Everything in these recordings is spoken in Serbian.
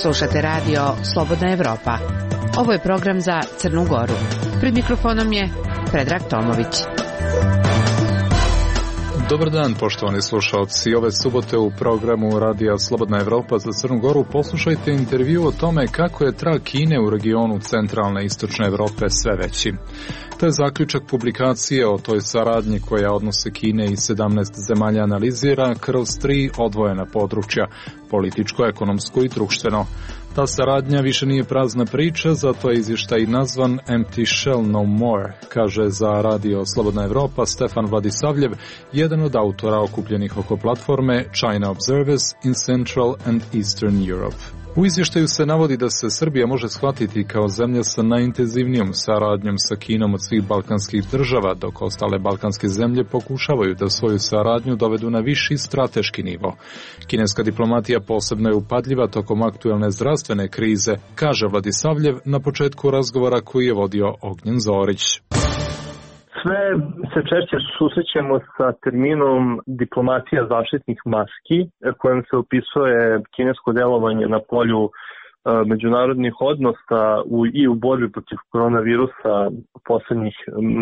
Slušate radio Slobodna Evropa. Ovo je program za Crnu Goru. Pred mikrofonom je Predrag Tomović. Dobar dan, poštovani slušalci. Ove subote u programu Radija Slobodna Evropa za Crnu Goru poslušajte intervju o tome kako je trag Kine u regionu centralne i istočne Evrope sve veći. To je zaključak publikacije o toj saradnji koja odnose Kine i 17 zemalja analizira kroz 3 odvojena područja, političko, ekonomsko i društveno. Ta saradnja više nije prazna priča, zato je izvještaj nazvan Empty Shell No More, kaže za Radio Slobodna Evropa Stefan Vladisavljev, jedan od autora okupljenih oko platforme China Observers in Central and Eastern Europe. U izvještaju se navodi da se Srbija može shvatiti kao zemlja sa najintenzivnijom saradnjom sa Kinom od svih balkanskih država, dok ostale balkanske zemlje pokušavaju da svoju saradnju dovedu na viši strateški nivo. Kineska diplomatija posebno je upadljiva tokom aktuelne zdravstvene krize, kaže Vladisavljev na početku razgovora koji je vodio Ognjen Zorić. Sve se češće susrećemo sa terminom diplomatija zaštitnih maski, kojom se opisuje kinesko delovanje na polju međunarodnih odnosa i u borbi protiv koronavirusa poslednjih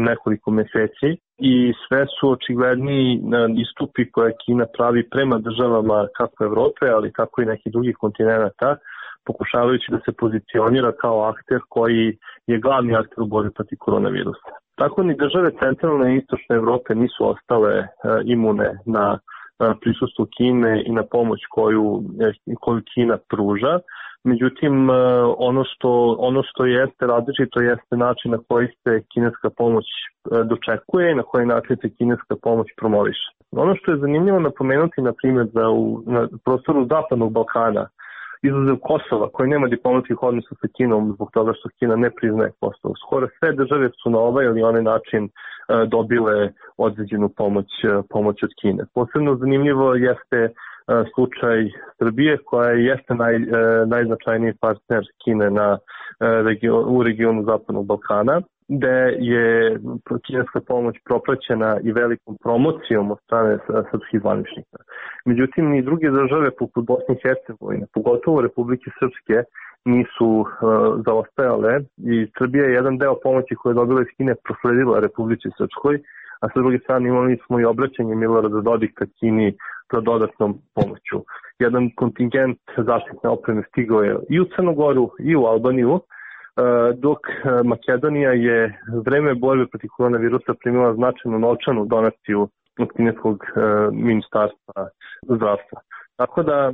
nekoliko meseci. I sve su očigledniji istupi koje Kina pravi prema državama kako Evrope, ali tako i nekih drugih kontinenta, pokušavajući da se pozicionira kao akter koji je glavni akter u borbi protiv koronavirusa. Tako ni države centralne i istočne Evrope nisu ostale imune na prisustvo Kine i na pomoć koju Kina pruža. Međutim, ono što jeste različito jeste način na koji se kineska pomoć dočekuje i na koji način se kineska pomoć promoviše. Ono što je zanimljivo napomenuti, na primjer, da na prostoru Zapadnog Balkana, izuzev Kosova, koji nema diplomatskih odnosa sa Kinom zbog toga što Kina ne priznaje Kosovo. Skoro sve države su na ovaj ili onaj način dobile određenu pomoć od Kine. Posebno zanimljivo jeste slučaj Srbije, koja jeste najznačajniji partner Kine u regionu Zapadnog Balkana, gde je kineska pomoć propraćena i velikom promocijom od strane srpskih zvaničnika. Međutim, ni druge države poput Bosne i Hercegovine, pogotovo Republike Srpske, nisu zaostajale i Srbija je jedan deo pomoći koje je dobila iz Kine prosledila Republici Srpskoj, a sa druge strane imali smo i obraćanje Milorada Dodika Kini za dodatnom pomoću. Jedan kontingent zaštitne opreme stigao je i u Crnu Goru i u Albaniju, dok Makedonija je vreme borbe protiv koronavirusa primila značajnu novčanu donaciju od kineskog ministarstva zdravstva. Tako da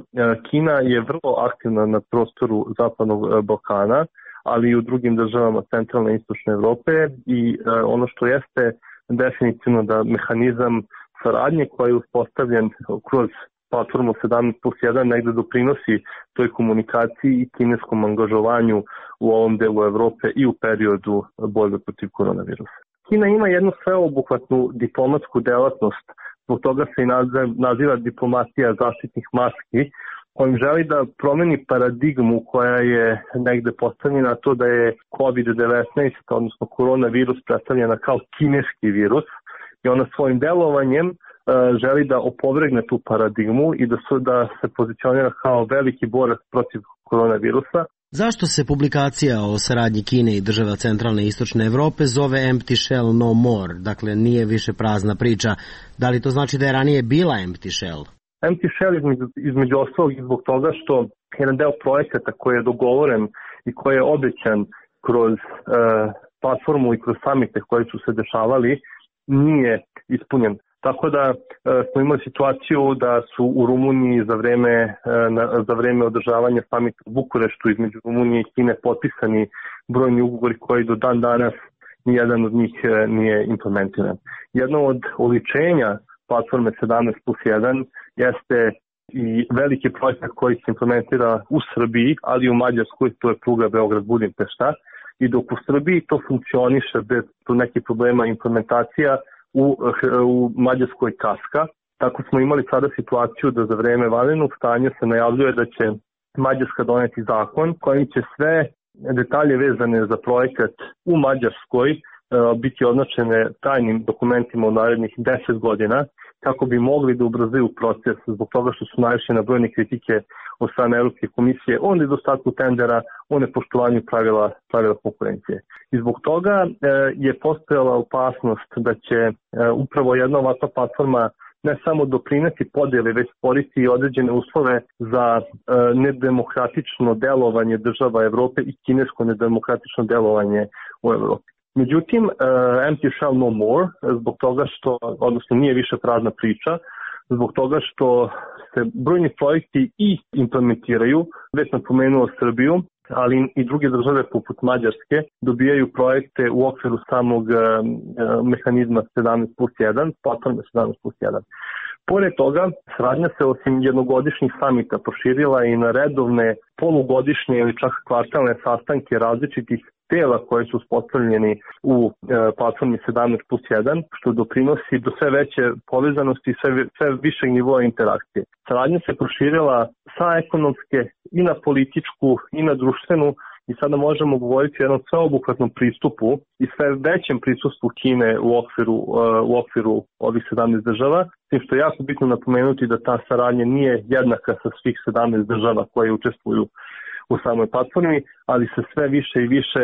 Kina je vrlo aktivna na prostoru Zapadnog Balkana, ali i u drugim državama centralne i istočne Evrope i ono što jeste definitivno da mehanizam saradnje koji je uspostavljen kroz platformu 17+1 negde doprinosi toj komunikaciji i kineskom angažovanju u ovom delu Evrope i u periodu borbe protiv koronavirusa. Kina ima jednu sveobuhvatnu diplomatsku delatnost, zbog toga se i naziva diplomatija zaštitnih maski, kojim želi da promeni paradigmu koja je negde postavljena to da je COVID-19, odnosno koronavirus, predstavljena kao kineski virus i ona svojim delovanjem želi da opovrgne tu paradigmu i da se pozicionira kao veliki borac protiv koronavirusa. Zašto se publikacija o saradnji Kine i država centralne i istočne Evrope zove Empty Shell No More, dakle nije više prazna priča? Da li to znači da je ranije bila Empty Shell? Empty Shell između ostalog i zbog toga što jedan deo projekata koji je dogovoren i koji je obećan kroz platformu i kroz samite koji su se dešavali nije ispunjen. Tako da smo imali situaciju da su u Rumuniji za vreme održavanja samita u Bukureštu između Rumunije i Kine potpisani brojni ugovori koji do dan danas nijedan od njih nije implementiran. Jedno od oličenja platforme 17+1 jeste i veliki projekat koji se implementira u Srbiji, ali i u Mađarskoj, to je pruga Beograd-Budimpešta. I dok u Srbiji to funkcioniše bez nekih problema implementacija, u Mađarskoj kaska. Tako smo imali sada situaciju da za vreme vanrednog stanja se najavljuje da će Mađarska doneti zakon kojim će sve detalje vezane za projekat u Mađarskoj biti označene tajnim dokumentima u narednih 10 godina kako bi mogli da ubrzaju proces zbog toga što su naišli na brojne kritike od strane Evropske komisije o nedostatku tendera, o nepoštovanju pravila konkurencije. I zbog toga je postojala opasnost da će upravo jedna ovakva platforma ne samo doprineti podjeli, već stvoriti i određene uslove za nedemokratično delovanje država Evrope i kinesko nedemokratično delovanje u Evropi. Međutim, empty shall no more, zbog toga što, odnosno nije više prazna priča, zbog toga što se brojni projekti i implementiraju, već sam pomenuo Srbiju, ali i druge države poput Mađarske dobijaju projekte u okviru samog mehanizma 17+1, platforme 17+1. Pored toga, saradnja se osim jednogodišnjih samita proširila i na redovne polugodišnje ili čak kvartalne sastanke različitih tela koje su uspostavljeni u platformi 17+1, što doprinosi do sve veće povezanosti i sve višeg nivoa interakcije. Saradnja se proširila sa ekonomske i na političku i na društvenu i sada možemo govoriti o jednom sveobuhvatnom pristupu i sve većem prisustvu Kine u okviru ovih 17 država, s tim što je jako bitno napomenuti da ta saradnja nije jednaka sa svih 17 država koje učestvuju u samoj platformi, ali se sve više i više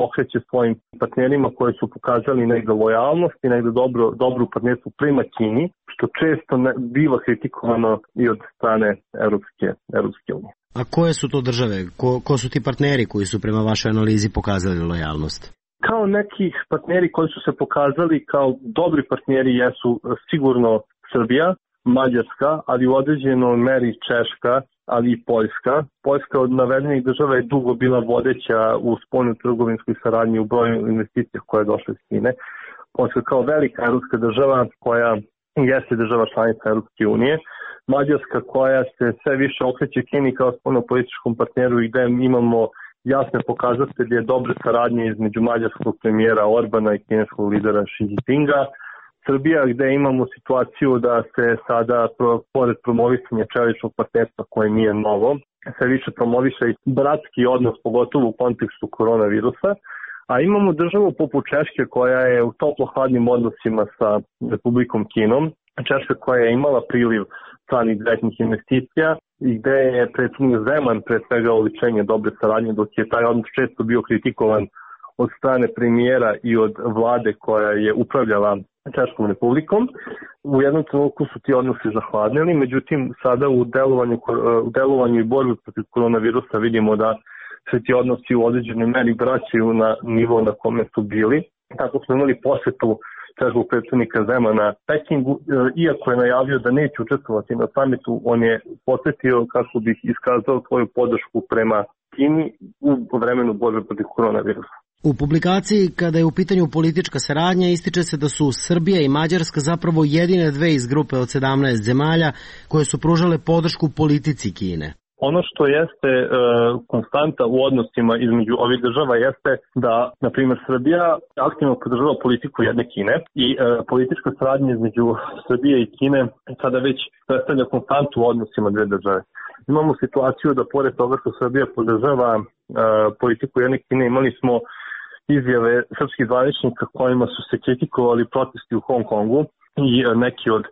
okreće svojim partnerima koji su pokazali negde lojalnost i negde dobru partnerstvu prema Kini, što često biva kritikovano i od strane Evropske unije. A koje su to države? Ko su ti partneri koji su prema vašoj analizi pokazali lojalnost? Kao neki partneri koji su se pokazali kao dobri partneri jesu sigurno Srbija, Mađarska, ali u određenoj meri Češka, ali i Poljska. Poljska od navedenih država je dugo bila vodeća u spoljnoj trgovinskoj saradnji u broju investicija koje je došle iz Kine. Poljska kao velika evropska država koja jeste država članica Evropske unije. Mađarska koja se sve više okreće Kini kao spoljnopolitičkom partneru i gde imamo jasne pokazatelje dobre saradnje između mađarskog premijera Orbana i kineskog lidera Xi Jinpinga. Srbija gde imamo situaciju da se sada pored promovisanja čeličnog partnerstva koje nije novo, sve više promoviše i bratski odnos pogotovo u kontekstu koronavirusa, a imamo državu poput Češke koja je u toplo-hladnim odnosima sa Republikom Kinom, Češka koja je imala priliv stranih direktnih investicija i gde je predsjednik Zeman pre svega oličenje dobre saradnje, dok je taj odnos često bio kritikovan od strane premijera i od vlade koja je upravljala Češkom republikom. U jednom trenutku su ti odnosi zahladnili, međutim sada u delovanju i borbi protiv koronavirusa vidimo da se ti odnosi u određenoj meri vraćaju na nivo na kome su bili. Tako smo imali posjetu češkog predsjednika Zemana Pekingu, iako je najavio da neće učestvovati na samitu, on je posjetio kako bi iskazao svoju podršku prema Kini u vremenu borbe protiv koronavirusa. U publikaciji, kada je u pitanju politička saradnja, ističe se da su Srbija i Mađarska zapravo jedine dve iz grupe od 17 zemalja koje su pružale podršku politici Kine. Ono što jeste konstanta u odnosima između ovih država jeste da, na primjer, Srbija aktivno podržava politiku jedne Kine i politička saradnja između Srbije i Kine sada već predstavlja konstantu u odnosima dve države. Imamo situaciju da pored toga što Srbija podržava politiku jedne Kine, imali smo izjave srpskih zvaničnika kojima su se kritikovali protesti u Hong Kongu i neke od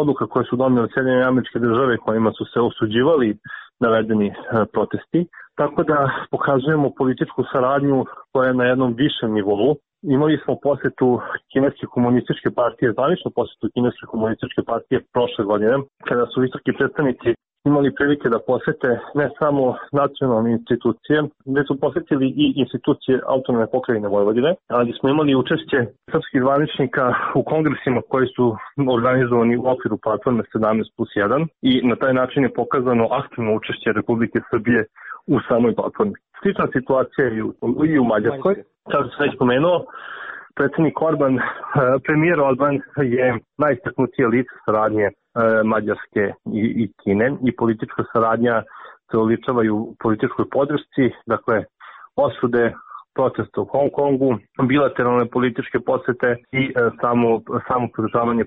odluka koje su donele Sjedinjene Američke Države kojima su se osuđivali navedeni protesti. Tako da pokazujemo političku saradnju koja je na jednom višem nivou. Imali smo posjetu Kineske komunističke partije, zvaničnu posjetu Kineske komunističke partije prošle godine, kada su visoki predstavnici imali prilike da posete ne samo nacionalne institucije, već su posetili i institucije autonomne pokrajine Vojvodine, ali smo imali učešće srpskih zvaničnika u kongresima koji su organizovani u okviru platforme 17+1 i na taj način je pokazano aktivno učešće Republike Srbije u samoj platformi. Slična situacija je i u Mađarskoj. Kao što sam već pomenuo, premijer Orban je najistaknutije lice saradnje Mađarske i Kine i politička saradnja se oličava u političkoj podršci, dakle osude protesta u Hong Kongu, bilateralne političke posete i samo podržavanje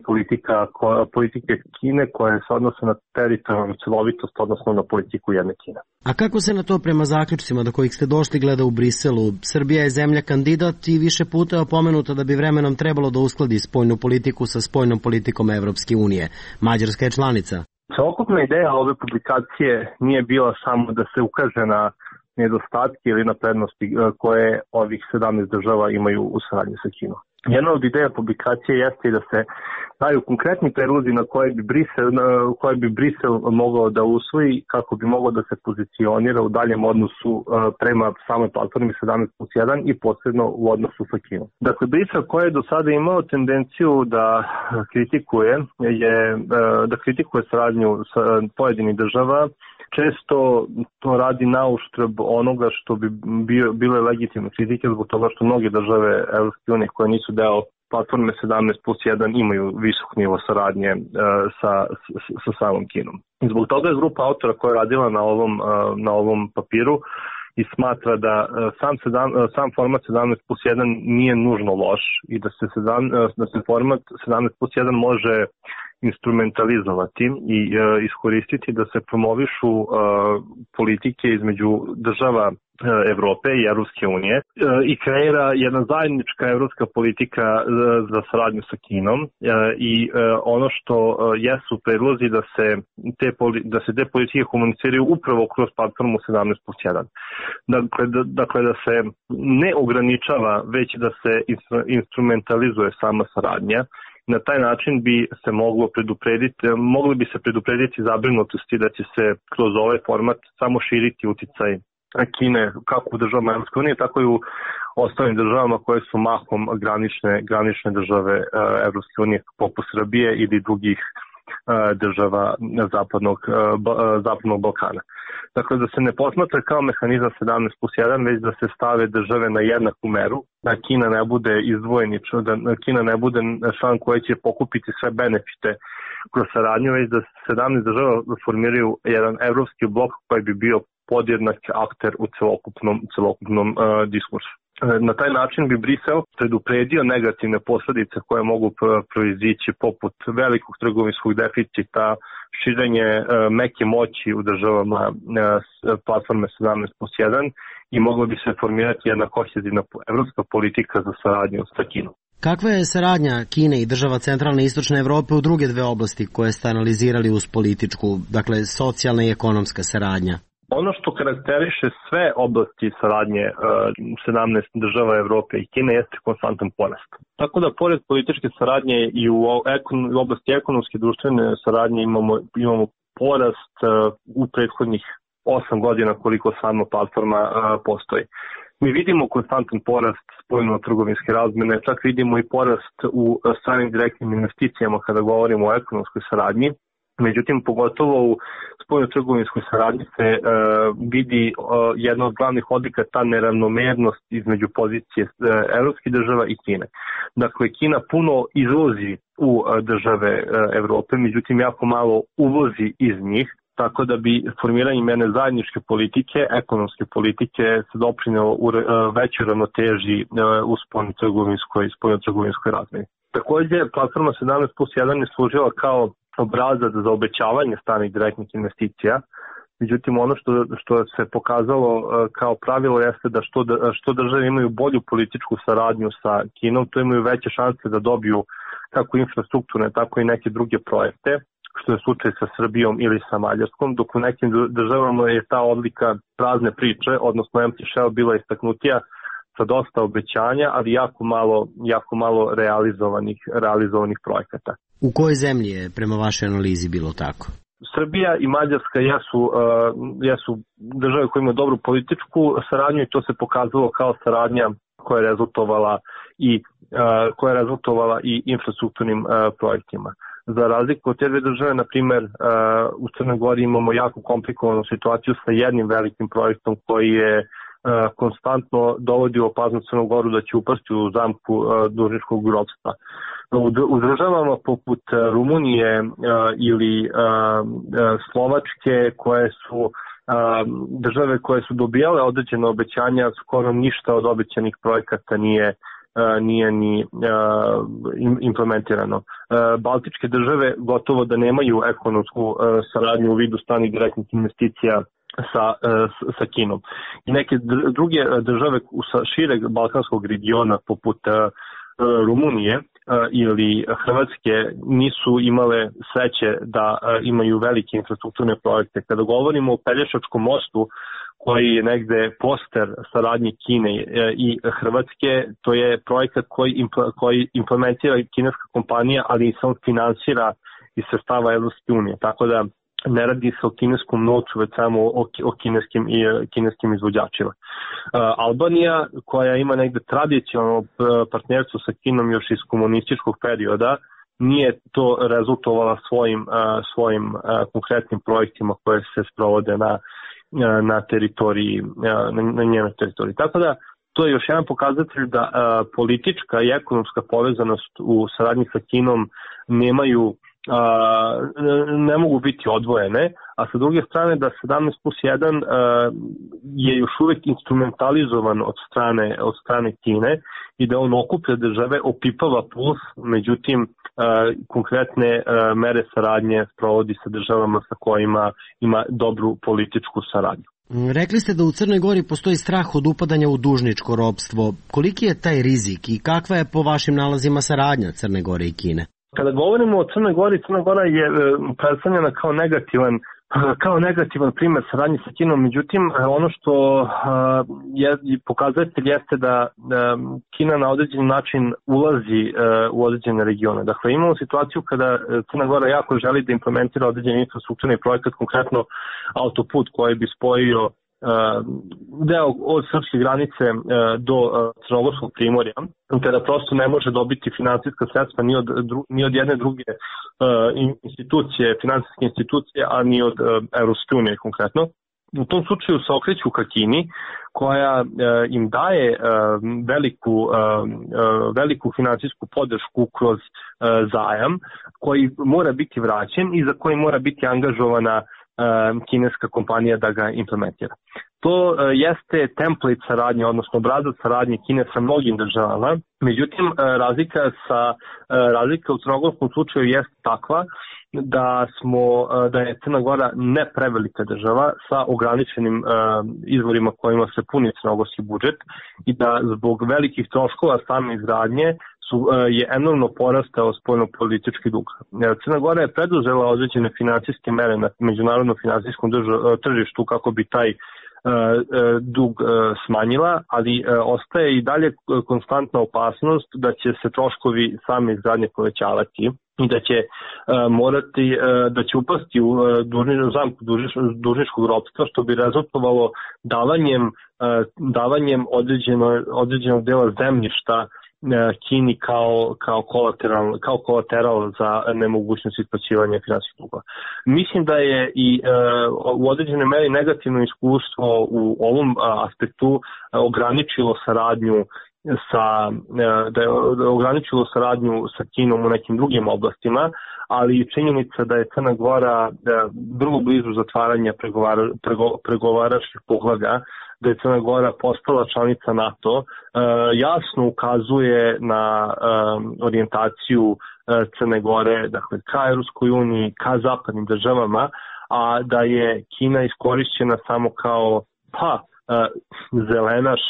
politike Kine koje se odnose na teritorijalnu celovitost, odnosno na politiku jedne Kine. A kako se na to prema zaključcima do kojih ste došli gleda u Briselu? Srbija je zemlja kandidat i više puta je opomenuta da bi vremenom trebalo da uskladi spoljnu politiku sa spoljnom politikom Evropske unije. Mađarska je članica. Celokupna ideja ove publikacije nije bila samo da se ukaže na nedostatke ili na prednosti koje ovih 17 država imaju u saradnji sa Kinom. Jedna od ideja publikacije jeste i da se daju konkretni predlozi na koje bi Brisel mogao da usvoji kako bi mogao da se pozicionira u daljem odnosu prema samoj platformi 17+1 i posebno u odnosu sa Kinom. Dakle, Brisel koji je do sada imao tendenciju da kritikuje saradnju sa pojedinih država, često to radi na uštrb onoga što bi bile legitimne kritike zbog toga što mnoge države Evropske unije koje nisu deo platforme 17+1 imaju visok nivo saradnje sa samom Kinom. I zbog toga je grupa autora koja je radila na ovom papiru i smatra da sam format 17+1 nije nužno loš i da se format 17+1 može instrumentalizovati i iskoristiti da se promovišu politike između država Evrope i Evropske unije i kreira jedna zajednička evropska politika za saradnju sa Kinom i ono što jesu predlozi da se te politike komuniciraju upravo kroz platformu 17+1. Dakle, da se ne ograničava, već da se instrumentalizuje sama saradnja. Na taj način mogli bi se preduprediti zabrinutosti da će se kroz ovaj format samo širiti uticaj Kine kako u državama Evropske unije, tako i u ostalim državama koje su mahom granične države Evropske unije poput Srbije ili drugih država Zapadnog Balkana. Dakle, da se ne posmatra kao mehanizam 17+1, već da se stave države na jednaku meru, da Kina ne bude izdvojeni, da Kina ne bude član koji će pokupiti sve benefite kroz saradnju, već da 17 država formiraju jedan evropski blok koji bi bio podjednak akter u celokupnom diskursu. Na taj način bi Brisel predupredio negativne posljedice koje mogu proizići poput velikog trgovinskog deficita, širenje meke moći u državama platforme 17+1 i mogla bi se formirati jedna kohezivna evropska politika za saradnju sa Kinom. Kakva je saradnja Kine i država centralne i istočne Evrope u druge dve oblasti koje ste analizirali uz političku, dakle socijalna i ekonomska saradnja? Ono što karakteriše sve oblasti saradnje 17 država Evrope i Kine jeste konstantan porast. Tako da pored političke saradnje i u oblasti ekonomske i društvene saradnje imamo porast u prethodnih 8 godina koliko sama platforma postoji. Mi vidimo konstantan porast spoljno-trgovinske razmene, čak vidimo i porast u stranim direktnim investicijama kada govorimo o ekonomskoj saradnji. Međutim, pogotovo u spoljno-trgovinskoj saradnji se vidi jedna od glavnih odlika ta neravnomernost između pozicije evropskih država i Kine. Dakle, Kina puno izvozi u države Evrope, međutim jako malo uvozi iz njih, tako da bi formiranjem jedne zajedničke politike, ekonomske politike, se doprinelo u većoj ravnoteži u spoljno-trgovinskoj razmeni. Također, platforma 17+1 je služila kao obrazac za obećavanje stranih direktnih investicija. Međutim, ono što se pokazalo kao pravilo jeste da što države imaju bolju političku saradnju sa Kinom, to imaju veće šanse da dobiju kako infrastrukturne, tako i neke druge projekte, što je slučaj sa Srbijom ili sa Mađarskom, dok u nekim državama je ta odlika prazne priče, odnosno empty shell bila istaknutija sa dosta obećanja, ali jako malo realizovanih projekata. U kojoj zemlji je prema vašoj analizi bilo tako? Srbija i Mađarska jesu države koje imaju dobru političku saradnju i to se pokazalo kao saradnja koja je rezultovala i infrastrukturnim projektima. Za razliku od te dve države, na primjer, u Crnoj Gori imamo jako komplikovanu situaciju sa jednim velikim projektom koji je konstantno dovodi u opasnost Crnu Goru da će upasti u zamku dužničkog ropstva. U državama poput Rumunije ili Slovačke koje su države koje su dobijale određene obećanja, skoro ništa od obećanih projekata nije ni implementirano. Baltičke države gotovo da nemaju ekonomsku saradnju u vidu stranih direktnih investicija sa Kinom. I neke druge države sa šireg balkanskog regiona poput Rumunije ili Hrvatske nisu imale sreće da imaju velike infrastrukturne projekte. Kada govorimo o Pelješačkom mostu, koji je negde poster saradnje Kine i Hrvatske, to je projekat koji implementira kineska kompanija, ali i sam finansira iz sredstava Evropske unije. Tako da ne radi se o kineskom novcu, već samo o kineskim izvođačima. Albanija, koja ima negde tradicionalno partnerstvo sa Kinom još iz komunističkog perioda, nije to rezultovala svojim konkretnim projektima koje se sprovode na teritoriji, na njenoj teritoriji. Tako da to je još jedan pokazatelj da politička i ekonomska povezanost u saradnji sa Kinom ne mogu biti odvojene, a sa druge strane da 17+1 je još uvijek instrumentalizovan od strane Kine i da on okuplja države, opipava plus, međutim konkretne mere saradnje provodi sa državama sa kojima ima dobru političku saradnju. Rekli ste da u Crnoj Gori postoji strah od upadanja u dužničko ropstvo. Koliki je taj rizik i kakva je po vašim nalazima saradnja Crne Gore i Kine? Kada govorimo o Crnoj Gori, Crna Gora je predstavljena kao negativan primjer saradnje sa Kinom, međutim ono što je pokazatelj jeste da Kina na određen način ulazi u određene regione. Dakle, imamo situaciju kada Crna Gora jako želi da implementira određeni infrastrukturni projekat, konkretno autoput koji bi spojio deo od srpske granice do Crnogorskog primorja, kada prosto ne može dobiti finansijska sredstva ni od jedne druge finansijske institucije, a ni od Evropske unije konkretno. U tom slučaju se okreću ka Kini, koja im daje veliku finansijsku podršku kroz zajam koji mora biti vraćen i za koji mora biti angažovana kineska kompanija da ga implementira. To jeste template saradnje, odnosno obrazac saradnje Kine sa mnogim državama, međutim razlika u crnogorskom slučaju jeste takva da je Crna Gora ne prevelika država sa ograničenim izvorima kojima se puni crnogorski budžet i da zbog velikih troškova same izgradnje je enormno porastao spoljno-politički dug. Crna Gora je preduzela određene finansijske mere na međunarodnom finansijskom tržištu kako bi taj dug smanjila, ali ostaje i dalje konstantna opasnost da će se troškovi same izgradnje povećavati i da će upasti u zamku dužničkog ropstva, što bi rezultovalo davanjem određenog dela zemljišta Kini kao kolateral za nemogućnost isplaćivanja finansijskih dugova. Mislim da je i u određenoj meri negativno iskustvo u ovom aspektu ograničilo saradnju sa Kinom u nekim drugim oblastima, ali činjenica da je Crna Gora vrlo blizu zatvaranja pregovaračkih poglavlja, da je Crna Gora postala članica NATO, jasno ukazuje na orijentaciju Crne Gore, dakle, ka Evropskoj uniji, ka zapadnim državama, a da je Kina iskorišćena samo kao zelenaš,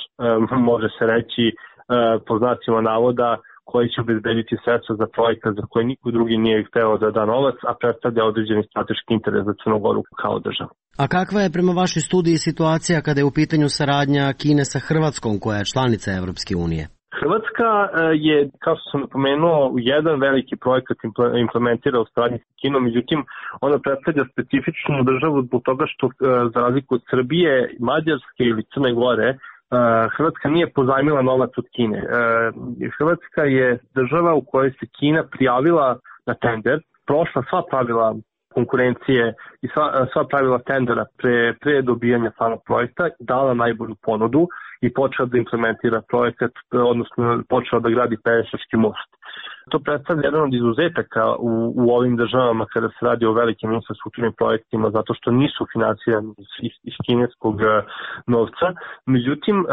može se reći po znacima navoda, koji će obezbediti sredstva za projekat za koje niko drugi nije hteo da da novac, a predstavlja određeni strateški interes za Crnu Goru kao državu. A kakva je prema vašoj studiji situacija kada je u pitanju saradnja Kine sa Hrvatskom, koja je članica Evropske unije? Hrvatska je, kao što sam napomenuo, jedan veliki projekat implementira u saradnji sa Kinom, međutim ona predstavlja specifičnu državu zbog toga što za razliku od Srbije, Mađarske ili Crne Gore, Hrvatska nije pozajmila novac od Kine. Hrvatska je država u kojoj se Kina prijavila na tender, prošla sva pravila konkurencije i sva pravila tendera pre dobijanja samog projekta, dala najbolju ponudu i počela da implementira projekat, odnosno počela da gradi Pelješački most. To predstavlja jedan od izuzetaka u ovim državama kada se radi o velikim infrastrukturnim projektima, zato što nisu finansirani iz kineskog novca. Međutim,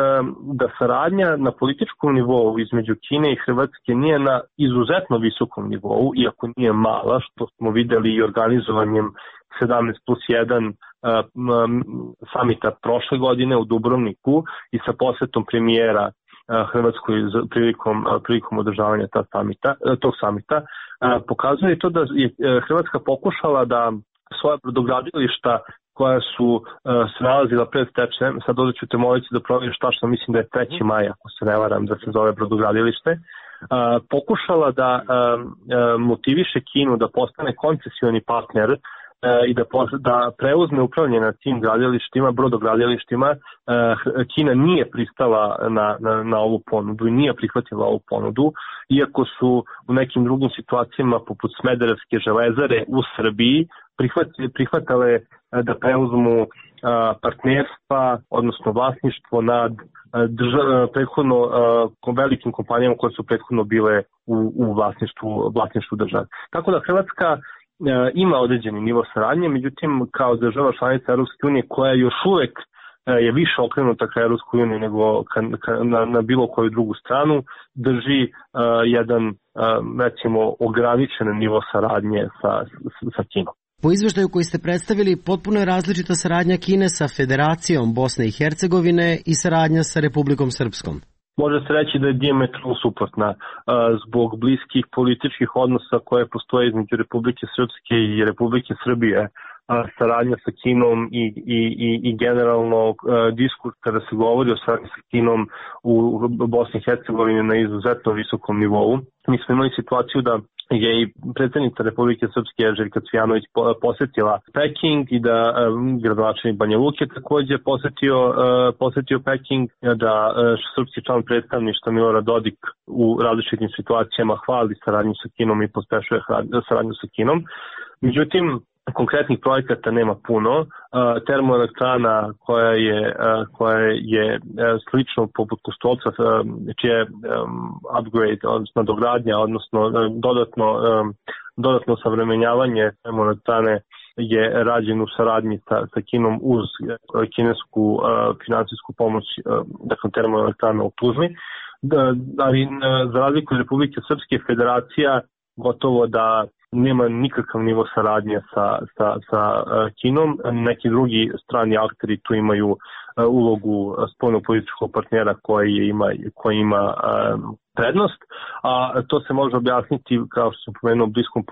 da saradnja na političkom nivou između Kine i Hrvatske nije na izuzetno visokom nivou, iako nije mala, što smo videli i organizovanjem 17+1 samita prošle godine u Dubrovniku i sa posetom premijera Hrvatskoj prilikom održavanja tog samita, pokazuje to da je Hrvatska pokušala da svoja brodogradilišta koja su se nalazila pred stečajem, sad ovdje ću te moliti da provjeriš tačno, mislim da je 3. maj, ako se ne varam, da se zove brodogradilište, pokušala da motiviše Kinu da postane koncesioni partner i da preuzme upravljanje nad tim brodogradilištima. Kina nije pristala na ovu ponudu i nije prihvatila ovu ponudu, iako su u nekim drugim situacijama poput Smederevske železare u Srbiji prihvatale da preuzmu partnerstva, odnosno vlasništvo nad prethodno velikim kompanijama koje su prethodno bile u vlasništvu države. Tako da Hrvatska ima određeni nivo saradnje, međutim kao država članica Europske unije koja još uvek je više okrenuta ka Europskoj uniji nego na bilo koju drugu stranu, drži jedan recimo ograničen nivo saradnje sa Kinom. Po izveštaju koji ste predstavili, potpuno je različita saradnja Kine sa Federacijom Bosne i Hercegovine i saradnja sa Republikom Srpskom. Može se reći da je dijametralno suprotna zbog bliskih političkih odnosa koje postoje između Republike Srpske i Republike Srbije. Saradnja sa Kinom i generalno diskurs kada se govori o saradnji sa Kinom u Bosni i Hercegovini na izuzetno visokom nivou. Mi smo imali situaciju da je i predsjednica Republike Srpske Željka Cvijanović posetila Peking i da gradonačelnik Banja Luke također posetio Peking, da srpski član predstavništva Milorad Dodik u različitim situacijama hvali saradnju sa Kinom i pospešuje saradnju sa Kinom. Međutim, konkretnih projekata nema puno. Termoelektrana koja je slično poput Kostolca, čije upgrade, odnosno dogradnja, odnosno dodatno savremenjavanje termoelektrane je rađen u saradnji sa Kinom uz kinesku finansijsku pomoć, dakle termoelektrana u Tuzli. Ali za razliku od Republike Srpske, Federacija gotovo da nema nikakav nivo saradnje sa Kinom. Neki drugi strani akteri tu imaju ulogu spoljnopolitičkog partnera koji ima prednost, a to se može objasniti, kao što sam pomenuo, bliskom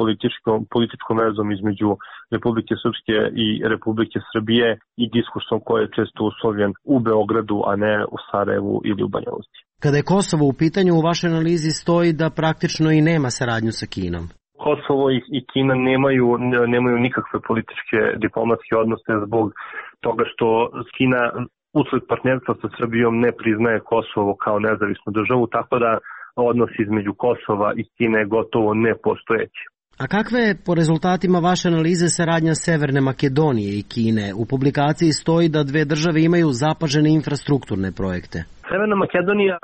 političkom vezom između Republike Srpske i Republike Srbije i diskursom koji je često uslovljen u Beogradu, a ne u Sarajevu ili u Banja Luci. Kada je Kosovo u pitanju, u vašoj analizi stoji da praktično i nema saradnju sa Kinom. Kosovo i Kina nemaju nikakve političke diplomatske odnose zbog toga što Kina usled partnerstva sa Srbijom ne priznaje Kosovo kao nezavisnu državu, tako da odnos između Kosova i Kine je gotovo nepostojeći. A kakva je po rezultatima vaše analize saradnja Severne Makedonije i Kine? U publikaciji stoji da dve države imaju zapažene infrastrukturne projekte. Severna Makedonija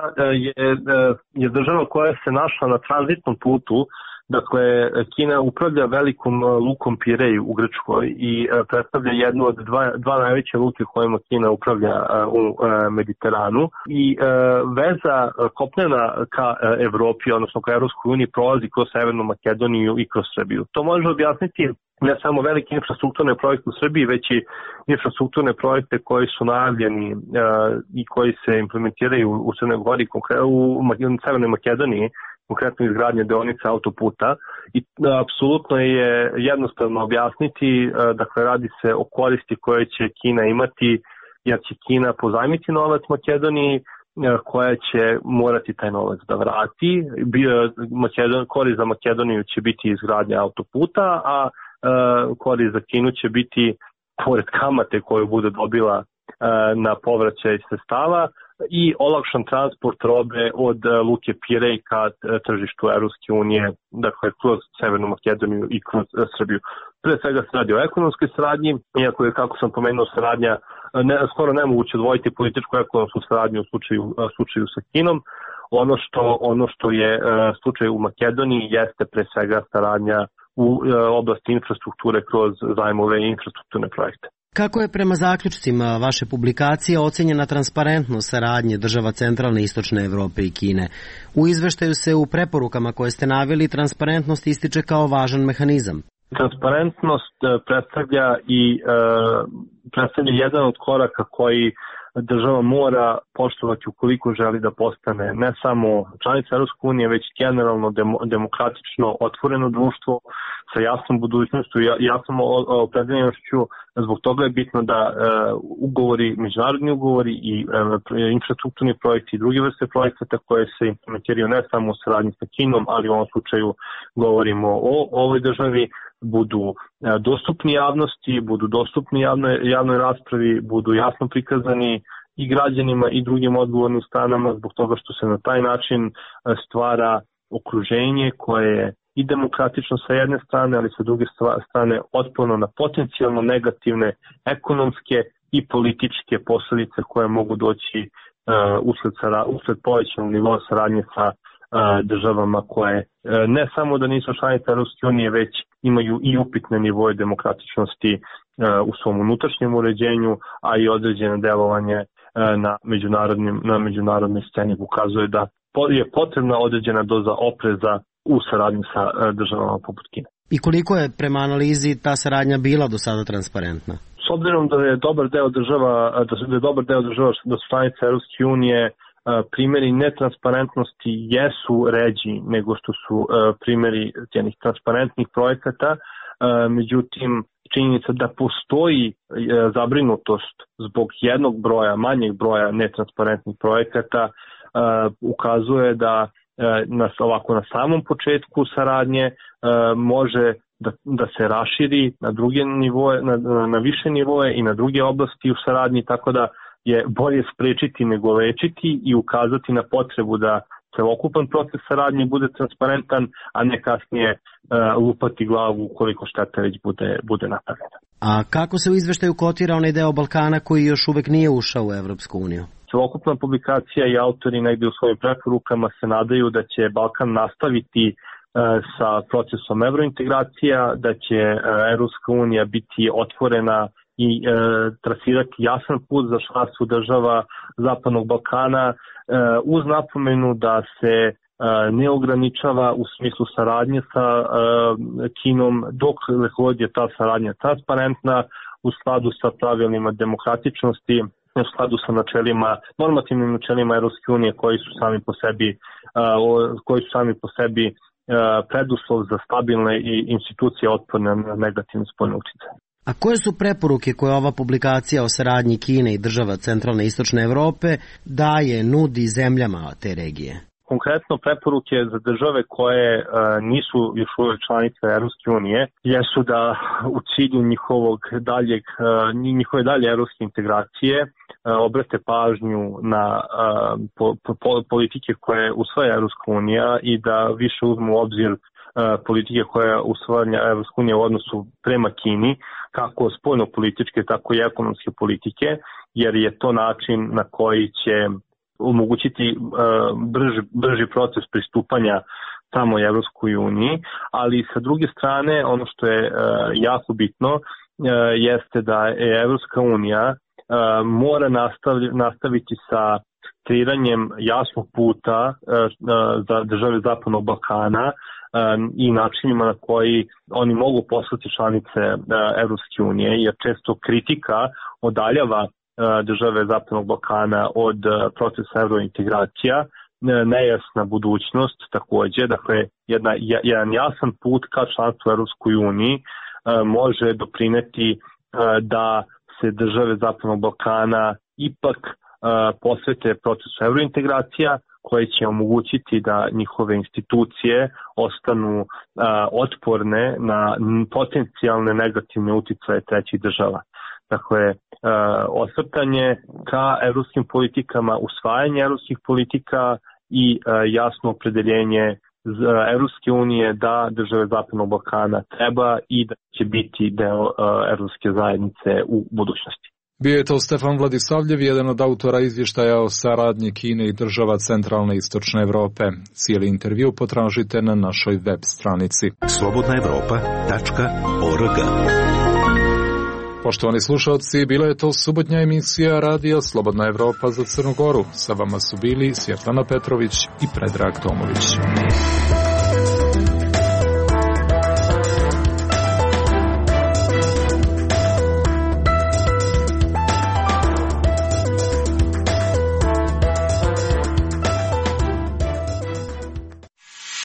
je država koja se našla na tranzitnom putu. Dakle, Kina upravlja velikom lukom Pirej u Grčkoj i predstavlja jednu od dva najveće luke kojima Kina upravlja u Mediteranu. I veza kopnena ka Evropi, odnosno ka Evropskoj uniji, prolazi kroz Severnu Makedoniju i kroz Srbiju. To može objasniti ne samo velike infrastrukturne projekte u Srbiji, već i infrastrukturne projekte koji su najavljeni i koji se implementiraju u Crnoj Gori, u Severnoj Makedoniji, konkretno izgradnje deonice autoputa, i apsolutno je jednostavno objasniti, dakle radi se o koristi koje će Kina imati, jer će Kina pozajmiti novac Makedoniji, koja će morati taj novac da vrati. Korist za Makedoniju će biti izgradnja autoputa, a korist za Kinu će biti, pored kamate koju bude dobila na povraćaj sredstava, i olakšan transport robe od luke Pirej ka tržištu Evropske unije, dakle kroz Severnu Makedoniju i kroz Srbiju. Pre svega se radi o ekonomskoj saradnji, iako je, kako sam pomenuo, saradnja skoro nemoguće odvojiti političku i ekonomsku saradnju u slučaju sa Kinom. Ono što je slučaj u Makedoniji jeste pre svega saradnja u oblasti infrastrukture kroz zajmove i infrastrukturne projekte. Kako je prema zaključcima vaše publikacije ocenjena transparentnost saradnje država centralne i istočne Evrope i Kine? U izveštaju se u preporukama koje ste naveli transparentnost ističe kao važan mehanizam. Transparentnost predstavlja jedan od koraka koji država mora poštovati ukoliko želi da postane ne samo članica Evropske unije, već generalno demokratično otvoreno društvo sa jasnom budućnošću i jasnom opredeljenošću. Zbog toga je bitno da ugovori, međunarodni ugovori i infrastrukturni projekti i druge vrste projekata koje se implementiraju ne samo u saradnji sa Kinom, ali u ovom slučaju govorimo o ovoj državi, budu dostupni javnosti, budu dostupni javnoj raspravi, budu jasno prikazani i građanima i drugim odgovornim stranama, zbog toga što se na taj način stvara okruženje koje je i demokratično sa jedne strane, ali sa druge strane otporno na potencijalno negativne ekonomske i političke posledice koje mogu doći usled povećanog nivoa saradnje sa državama koje ne samo da nisu članice Evropske unije, već imaju i upitne nivoje demokratičnosti u svom unutrašnjem uređenju, a i određeno delovanje na međunarodnoj sceni ukazuje da je potrebna određena doza opreza u saradnji sa državama poput Kine. I koliko je prema analizi ta saradnja bila do sada transparentna? S obzirom da je dobar deo država, da su članice Evropske unije, primjeri netransparentnosti jesu ređi nego što su primjeri jednih transparentnih projekata, međutim činjenica da postoji zabrinutost zbog manjeg broja netransparentnih projekata ukazuje da na samom početku saradnje može da se raširi na druge nivoe, na više nivoe i na druge oblasti u saradnji, tako da je bolje sprečiti nego lečiti i ukazati na potrebu da celokupan proces saradnje bude transparentan, a ne kasnije lupati glavu ukoliko šteta već bude napravljena. A kako se u izveštaju kotira onaj deo Balkana koji još uvek nije ušao u Evropsku uniju? Celokupna publikacija i autori negde u svojim preporukama se nadaju da će Balkan nastaviti sa procesom evrointegracija, da će Evropska unija biti otvorena i trasirati jasan put za članstvo država Zapadnog Balkana uz napomenu da se ne ograničava u smislu saradnje sa Kinom dok god je ta saradnja transparentna u skladu sa pravilima demokratičnosti, u skladu sa normativnim načelima Evropske unije koji su sami po sebi preduslov za stabilne i institucije otporne na negativne spoljne uticaje. A koje su preporuke koje ova publikacija o saradnji Kine i država centralne i istočne Evrope nudi zemljama te regije? Konkretno preporuke za države koje nisu još uvijek članice Evropske unije jesu da u cilju njihove dalje evropske integracije obrate pažnju na politike koje usvaja Evropska unija i da više uzmu u obzir politike koje usvaja Evropska unija u odnosu prema Kini, kako spoljno-političke, tako i ekonomske politike, jer je to način na koji će omogućiti brži proces pristupanja samoj Evropskoj uniji, ali sa druge strane ono što je jako bitno jeste da je Evropska unija mora nastaviti sa kreiranjem jasnog puta za države Zapadnog Balkana i načinima na koji oni mogu postati članice Evropske unije, jer često kritika odaljava države Zapadnog Balkana od procesa evrointegracija, nejasna budućnost takođe, dakle jedan jasan put ka članstvu Evropskoj uniji može doprineti da se države Zapadnog Balkana ipak posvete procesu evrointegracija, koje će omogućiti da njihove institucije ostanu otporne na potencijalne negativne uticaje trećih država. Dakle, osvrtanje ka evropskim politikama, usvajanje evropskih politika i jasno opredeljenje Evropske unije da države Zapadnog Balkana treba i da će biti deo evropske zajednice u budućnosti. Bio je to Stefan Vladisavljev, jedan od autora izvještaja o saradnji Kine i država centralne i istočne Evrope. Cijeli intervju potražite na našoj web stranici slobodnaevropa.org. Poštovani slušalci, bila je to subotnja emisija radija Slobodna Evropa za Crnu Goru. Sa vama su bili Svjetlana Petrović i Predrag Tomović.